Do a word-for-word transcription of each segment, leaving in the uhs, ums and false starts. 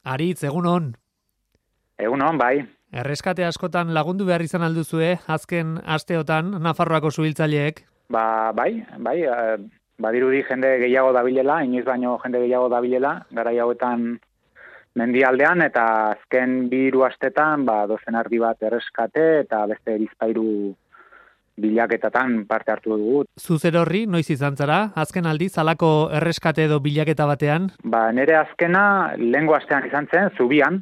Aritz, egunon. Egunon, bai. Erreskate askotan lagundu behar izan alduzue, azken asteotan, Nafarroako suhiltzaileek? Ba, bai, bai, eh, badirudi jende gehiago dabilela, inoiz baino jende gehiago dabilela, garai hauetan mendialdean, eta azken bi hiru astetan, ba, dozen ardi bat erreskate, eta beste bizpahiru bilaketatan parte hartu dugu. Zuzer horri, noiz izan zara, azken aldiz, halako erreskate edo bilaketa batean? Ba, nire azkena lehengo astean izan zen, Zubian,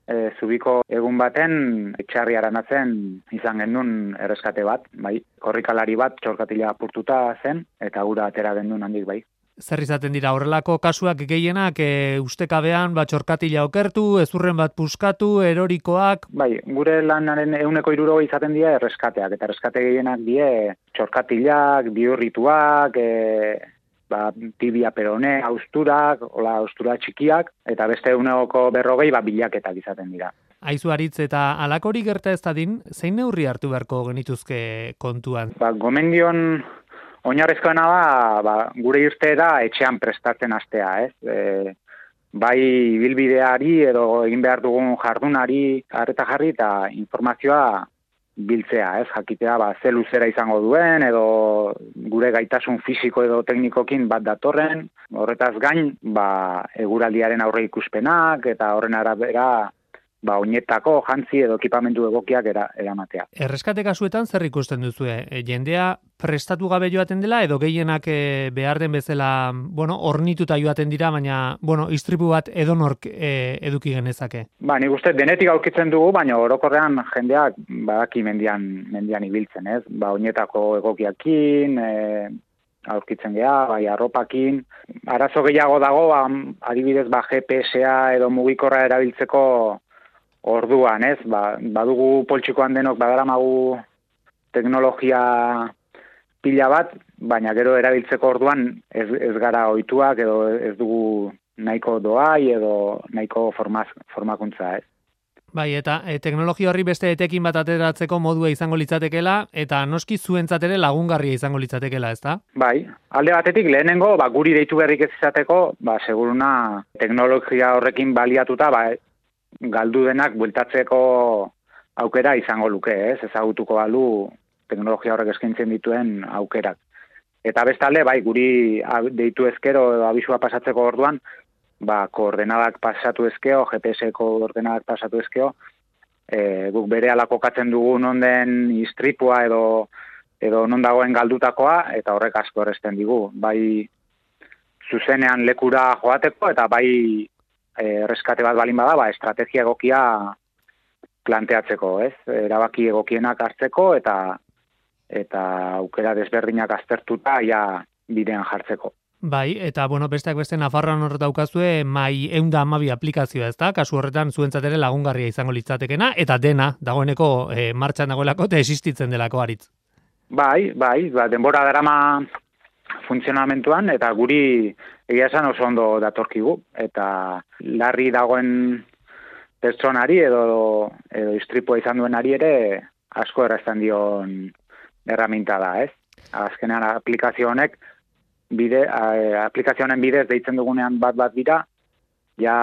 e, Zubiko egun baten etxarri aranatzen izan genuen erreskate bat, bai. Korrikalari bat txorkatila apurtuta zen, eta gura atera genuen handik, bai. Zer izaten dira, horrelako kasuak gehienak, e, ustekabean, bat txorkatila okertu, ezurren bat puskatu, erorikoak? Bai, gure lanaren ehuneko hiruro izaten dira erreskateak, eta erreskate gehienak die txorkatilak, bihurrituak, e, ba, tibia perone, austurak, hola, austura txikiak, eta beste ehuneko berrogei ba, bilaketak izaten dira. Aizu Aritz, eta halakori gerta ez dadin, zein neurri hartu beharko genituzke kontuan? Ba, gomendion oinarrizkoena da, ba, gure irteera etxean prestatzen hastea, ez? E, bai bilbideari edo egin behar dugun jardunari arreta jarri eta informazioa biltzea, ez? Jakitea ba, ze luzera izango duen edo gure gaitasun fisiko edo teknikokin bat datorren. Horretaz gain, ba, eguraldiaren aurre ikuspenak eta horren arabera ba, oinetako jantzi edo ekipamentu egokiak era, eramatea. Erreskate kasuetan zer ikusten duzue? E, jendea prestatu gabe joaten dela edo gehienak e, behar den bezala, bueno, ornituta joaten dira, baina, bueno, istripu bat edonork e, eduki genezake? Ba, nik uste denetik aurkitzen dugu, baina orokorrean jendeak badaki mendian, mendian ibiltzen, ez? Ba, oinetako egokiakin, e, aurkitzen geha, bai, arropakin. Arazo gehiago dago, ba, adibidez, ba, G P S-a edo mugikorra erabiltzeko orduan, ez? Ba, badugu poltsikoan denok badaramagu teknologia pila bat, baina gero erabiltzeko orduan ez, ez gara ohituak edo ez dugu nahiko doai edo nahiko formaz, formakuntza, ez? Bai, eta e, teknologia horri beste etekin bat ateratzeko modua izango litzatekela, eta noski zuentzat ere lagungarria izango litzatekela, ezta? Bai, alde batetik lehenengo, ba, guri deitu berrik ez izateko, ba, seguruna teknologia horrekin baliatuta, ba, galdu denak bueltatzeko aukera izango luke, ez? Ezagutuko balu teknologia horrek eskaintzen dituen aukerak. Eta bestalde, bai, guri deitu ezkero abisua pasatzeko orduan, ba, koordenadak pasatu ezkeo, G P S-ko koordenadak pasatu ezkeo, e, guk bere kokatzen dugu non den istripua edo edo non dagoen galdutakoa, eta horrek asko erresten digu. Bai, zuzenean lekura joateko, eta bai, erreskate bat balin bada, ba, estrategia egokia planteatzeko, ez? Erabaki egokienak hartzeko eta eta aukera desberdinak aztertuta ja bidean jartzeko. Bai, eta bueno, besteak beste Nafarroan hor daukazue mai ehun eta hamabi aplikazioa, ezta? Kasu horretan zuentzat ere lagungarria izango litzatekena, eta dena dagoeneko e, martxan dagoelako eta existitzen delako Aritz. Bai, bai, ba, denbora darama funtzionamentuan, eta guri egia esan oso ondo datorkigu, eta larri dagoen pertsonari edo, edo istripua izan duenari ere asko errazten dion erraminta da, ez? Azkenean aplikazio honek, bide, a, aplikazio honen bidez deitzen dugunean bat-bat dira, ja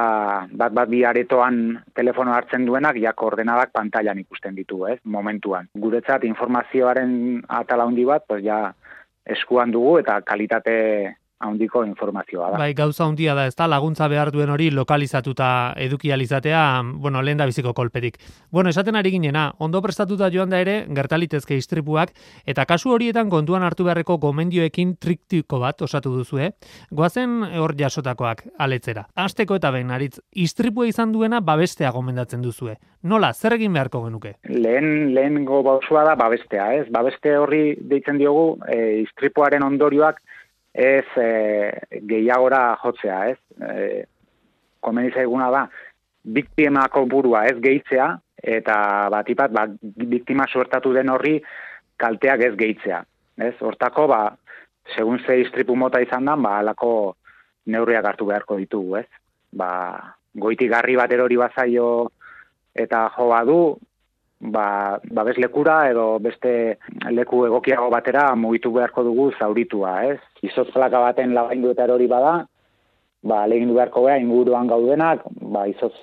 bat-bat bi aretoan telefono hartzen duenak, ja koordenadak pantailan ikusten ditu, ez? Momentuan. Guretzat informazioaren atala handi bat, pues ja eskuan dugu eta kalitate handiko informazioa da. Bai, gauza handia da, ezta? Laguntza behar duen hori lokalizatuta eduki alizatea, bueno, lehen da biziko kolpetik. Bueno, esaten ari ginena, ondo prestatuta joan da ere, gertalitezke istripuak, eta kasu horietan kontuan hartu beharreko gomendioekin triktiko bat osatu duzu, eh? Goazen hor jasotakoak aletzera. Hasteko eta behin, Aritz, istripua izan duena babestea gomendatzen duzue. Nola, zer egin beharko genuke? Lehen, lehengo bausua da babestea, ez? Babeste horri deitzen diogu, e, istripuaren ondorioak ez e, gehiagora jotzea, ez? E, komeni zaiguna da, biktimako burua ez gehitzea, eta batipat, ba, biktima suertatu den horri kalteak ez gehitzea. Ez? Hortako, ba, segun ze istripu mota izan dan, ba, alako neurriak hartu beharko ditugu, ez? Ba, goitik garri bat erori bazaio eta jo badu, ba, babes lekura edo beste leku egokiago batera mugitu beharko dugu zauritua, ez? Izotz plaka baten labaindu eta erori bada, ba, alegindu beharko gara inguruan gaudenak, ba, izoz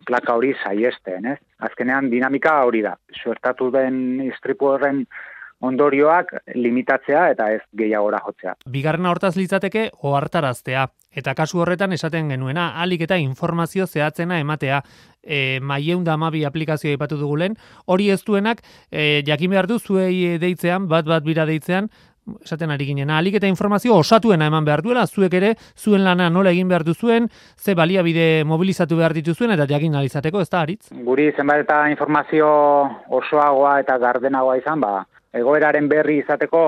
plaka hori saiesten, ez? Azkenean dinamika hori da. Suertatu den istripu horren ondorioak limitatzea eta ez gehiagora jotzea. Bigarrena hortaz litzateke ohartaraztea. Eta kasu horretan esaten genuena, alik eta informazio zehatzena ematea. E, Maiehun eta hamabi aplikazioa aipatu dugu lehen, hori ez duenak, e, jakin behar du zuei deitzean, bat bat bira deitzean, esaten ari ginen, alik eta informazio osatuena eman behar duela, zuek ere, zuen lana nola egin behar duzuen, ze baliabide mobilizatu behar dituzuen, eta jakin alizateko, ez da, Aritz? Guri zenbat eta informazio osoagoa eta gardenagoa izan, ba, egoeraren berri izateko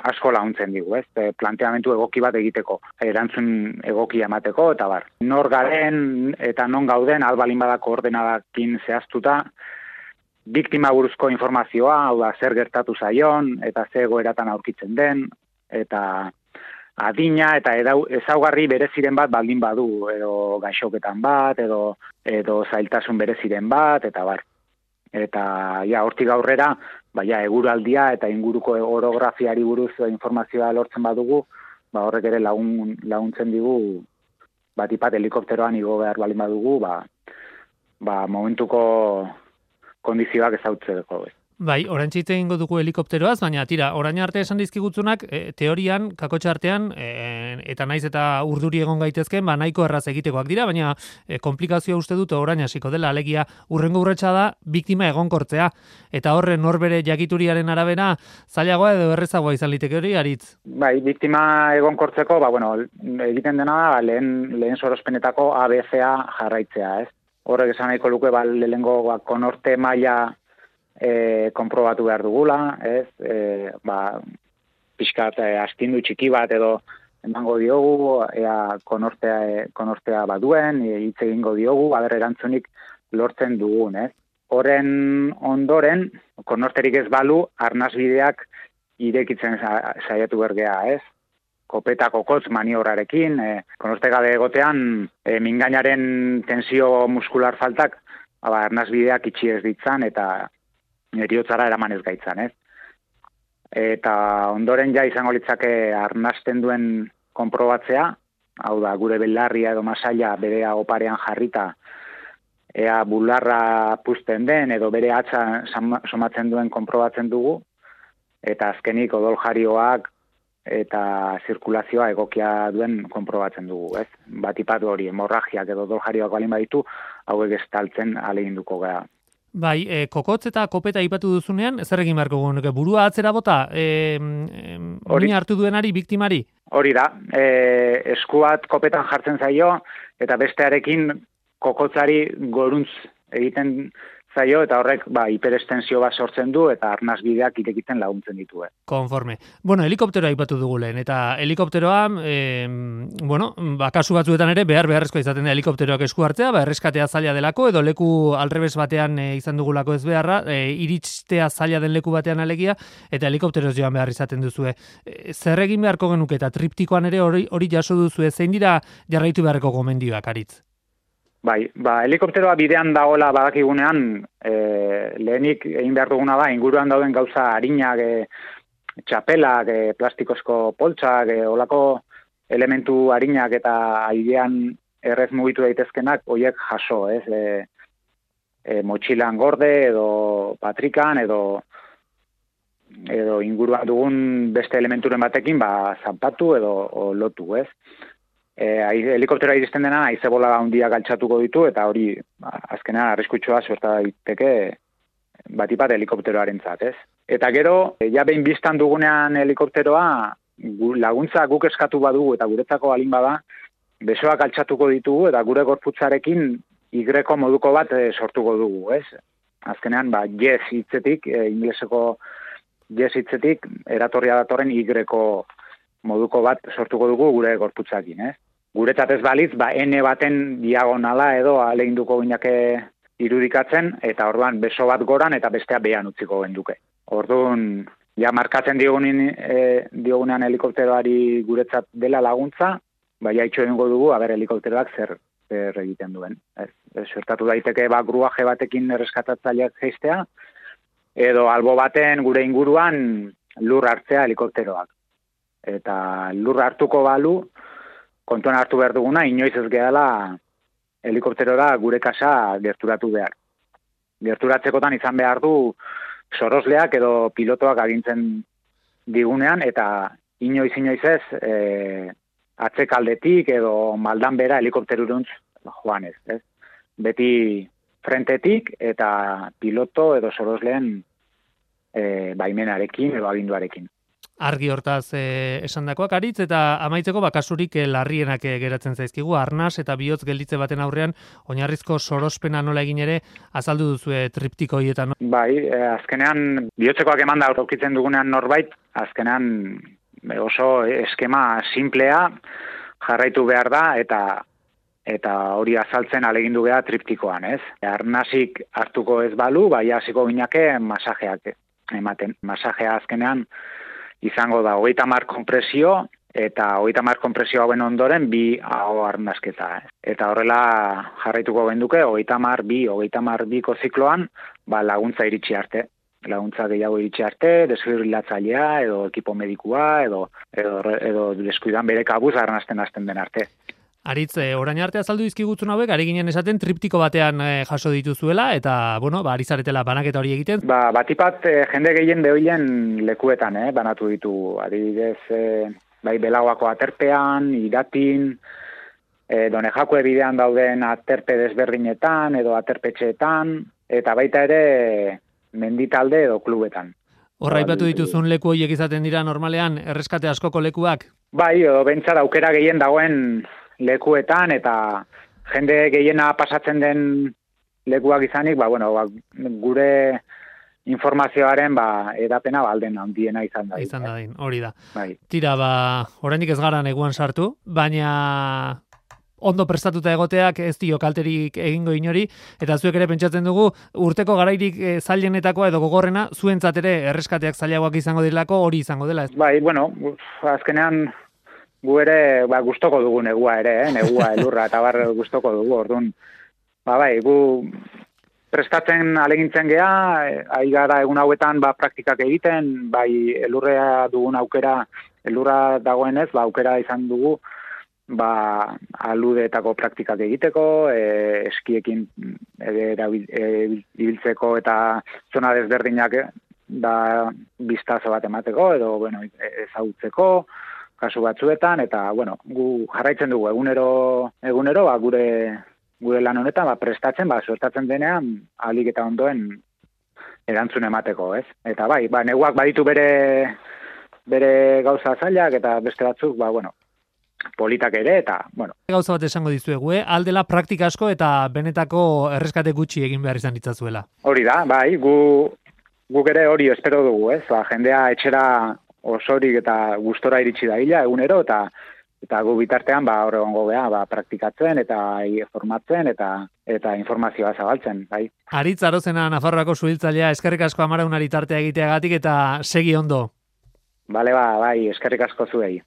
asko laguntzen digu, ez? E, planteamentu egoki bat egiteko, erantzun egokia emateko, eta bar. Nor garen eta non gauden, albalin badako ordenadakin zehaztuta, biktima buruzko informazioa, hau da, zer gertatu zaion, eta ze egoeratan aurkitzen den, eta adina, eta edau, ezaugarri bereziren bat baldin badu, edo gaixoketan bat, edo, edo zailtasun bereziren bat, eta bar. Eta, ja, hortik aurrera, baina eguraldia eta inguruko orografiari buruz informazioa lortzen badugu, ba horrek ere lagun, laguntzen digu, bat ipat helikopteroan igo behar balin badugu, ba, ba momentuko kondizioak ezautzeko. Bai, orain txite egingo dugu helikopteroaz, baina tira, orain arte esan dizkigutzunak, e, teorian, kakotxa artean, e, eta naiz eta urduri egon gaitezken, ba nahiko erraz egitekoak dira, baina e, komplikazioa uste dut orain hasiko dela, alegia urrengo urretsa da, biktima egonkortzea, eta horren norbere jakituriaren arabera, zailagoa edo errezagoa izan liteke hori, Aritz? Bai, biktima egonkortzeko, ba, bueno, egiten dena da, lehen, lehen sorospenetako A B C-a jarraitzea, ez? Horrek esan nahiko luke, ba, lehengo ba, konorte maila E, konprobatu behar dugula, ez, e, ba, pixkat e, astindu txiki bat edo emango diogu, ea konortea, e, konortea baduen, e, hitz egingo diogu, aber erantzunik lortzen dugun, ez. Horren ondoren, konorterik ez balu, arnasbideak irekitzen saiatu bergea, ez. Kopeta kokotz maniobrarekin, e, konorte gabe egotean, e, mingainaren tensio muskular faltak, ba, arnasbideak itxi ez ditzan, eta eriotzara eraman ez gaitzan, ez? Eta ondoren ja izango litzake arnasten duen konprobatzea, hau da, gure belarria edo masaila bere oparean jarrita, ea bularra puzten den, edo bere hatza somatzen duen konprobatzen dugu, eta azkenik odoljarioak eta zirkulazioa egokia duen konprobatzen dugu, ez? Batipat hori, hemorragiak edo odoljarioak balin baditu, hauek estaltzen ahaleginduko gara. Bai, e, kokotz eta kopeta aipatu duzunean, zer egin beharko genuke? Burua atzera bota, e, e, hartu duenari, biktimari? Hori da, e, eskuat kopetan jartzen zaio, eta bestearekin kokotzari goruntz egiten zaio, eta horrek ba, hiperestensio bat sortzen du, eta arnasbideak irekitzen laguntzen ditu. Eh. Konforme. Bueno, helikopteroa aipatu dugu lehen, eta helikopteroa, e, bueno, ba, kasu batzuetan ere, behar beharrezkoa izaten da helikopteroak esku hartzea, ba, erreskatea zaila delako, edo leku alrebes batean e, izan dugulako ez beharra, e, iritstea zaila den leku batean alegia, eta helikopteroz joan behar izaten duzue. E, zer egin beharko genuke, eta triptikoan ere hori, hori jaso duzue, zein dira jarraitu beharreko gomendioak, Aritz? Bai, ba, helikopteroa bidean dagoela badakigunean, e, lehenik egin behar duguna da, inguruan dauden gauza harinak, e, txapelak, e, plastikozko poltsak, e, olako elementu harinak eta airean errez mugitu daitezkenak, horiek jaso, ez? E, e, motxilan gorde edo patrikan edo edo inguruan dugun beste elementuren batekin, ba, zanpatu edo o, lotu, ez? E, helikopteroa iristen dena, haizebola handia galtzatuko ditu, eta hori, azkenean, arriskutsua suerta daiteke batipat helikopteroarentzat, ez? Eta gero, ja behin biztan dugunean helikopteroa, laguntza guk eskatu badugu, eta guretzako balin bada, besoak galtzatuko ditugu, eta gure gorputzarekin igreko moduko bat e, sortuko dugu, ez? Azkenean, ba, yes hitzetik, e, ingleseko yes hitzetik, eratorria datorren igreko moduko bat sortuko dugu gure gorputzakin, ez? Guretzat ez balitz, ba, N baten diagonala edo ahaleginduko ginake irudikatzen, eta orduan beso bat goran eta bestea behan utziko genduke. Orduan, ja markatzen diogunin, e, diogunean helikopteroari guretzat dela laguntza, ba, jaitxo egingo dugu, aber helikopteroak zer, zer egiten duen. Ez, ez suertatu daiteke, ba, gruaje batekin erreskatatzailek geistea, edo albo baten gure inguruan lur hartzea helikopteroak. Eta lur hartuko balu, kontuan hartu behar duguna, inoiz ez gehala helikopterora gure kasa gerturatu behar. Gerturatzekotan izan behar du sorosleak edo pilotoak agintzen digunean, eta inoiz inoiz ez e, atzekaldetik edo maldan bera helikopteruruntz joan ez, ez. Beti frentetik eta piloto edo sorosleen e, baimenarekin edo aginduarekin. Argi hortaz eh, esandakoak aritz, eta amaitzeko bakasurik eh, larrienak eh, geratzen zaizkigu, arnas eta bihotz gelditze baten aurrean oinarrizko sorospena nola egin ere azaldu duzue triptiko hietan. Bai, eh, azkenean bihotzekoak eman da aurkitzen dugunean norbait, azkenean oso eskema simplea jarraitu behar da, eta eta hori azaltzen alegindu behar triptikoan, ez? Arnasik hartuko ez balu, bai hasiko ginake masajeak ematen. Masajea azkenean izango da hogeita hamar konpresio, eta hogeita hamar konpresio hauen ondoren bi aho arnasketa. Eta horrela jarraituko genduke, hogeita hamar bi, hogeita hamar biko zikloan, ba, laguntza iritsi arte. Laguntza gehiago iritsi arte, desfibrilatzailea, edo ekipo medikua, edo, edo, edo deskuidan bere kabuz arnasten hasten den arte. Aritz, eh, orain arte azaldu dizkigutzun hauek, ari ginen esaten triptiko batean eh, jaso dituzuela, eta, bueno, ba, ari zaretela banaketa hori egiten. Ba, batipat eh, jende gehien behoilen lekuetan, eh, banatu ditu. Adibidez, eh, bai, Belagoako aterpean, Iratin, eh, Donejakue bidean dauden aterpe desberdinetan, edo aterpetxeetan, eta baita ere menditalde edo klubetan. Horra aipatu dituzun leku horiek izaten dira normalean, erreskate askoko lekuak? Bai, edo bentsat aukera gehien dagoen lekuetan, eta jende gehiena pasatzen den lekuak izanik, ba, bueno, ba, gure informazioaren ba, edapena ba, alden handiena izan da. Izan da, din, hori da. Bai. Tira, ba, oraindik ez gara neguan sartu, baina ondo prestatuta egoteak ez dio kalterik egingo inori, eta zuek ere pentsatzen dugu, urteko garairik e, zailenetakoa edo gogorrena, zuentzat ere erreskateak zailagoak izango direlako, hori izango dela. Bai, bueno, azkenean gu ere ba, gustoko dugu negua ere, eh? Negua, elurra, eta bar gustoko dugu, orduan. Ba, bai, gu prestatzen alegintzen gea, ari gara egun hauetan ba, praktikak egiten, bai elurrea dugun aukera, elurra dagoenez, ba, aukera izan dugu, ba, aludeetako praktikak egiteko, e, eskiekin ibiltzeko e, eta zona desberdinak da biztazo bat emateko, edo bueno, ezagutzeko, kasu batzuetan, eta bueno, gu jarraitzen dugu egunero, egunero ba, gure gure lan honetan ba, prestatzen, ba, suertatzen denean, ahalik eta ondoen erantzun emateko, ez? Eta bai, ba, neguak baditu bere, bere gauza zailak, eta beste batzuk, ba, bueno, politak ere, eta, bueno. Gauza bat esango dizuegu, eh? Aldela praktika asko eta benetako erreskate gutxi egin behar izan ditzazuela. Hori da, bai, gu, guk ere hori espero dugu, ez? Ba, jendea etxera osorik eta gustora iritsi da hila, egunero, eta eta gu bitartean ba hor egongo gea, ba praktikatzen eta formatzen eta eta informazioa zabaltzen, bai. Aritz Arozena, Nafarroako suhiltzailea, eskerrik asko Amaraunari tartea egiteagatik eta segi ondo. Bale, ba, bai, eskerrik asko zuei.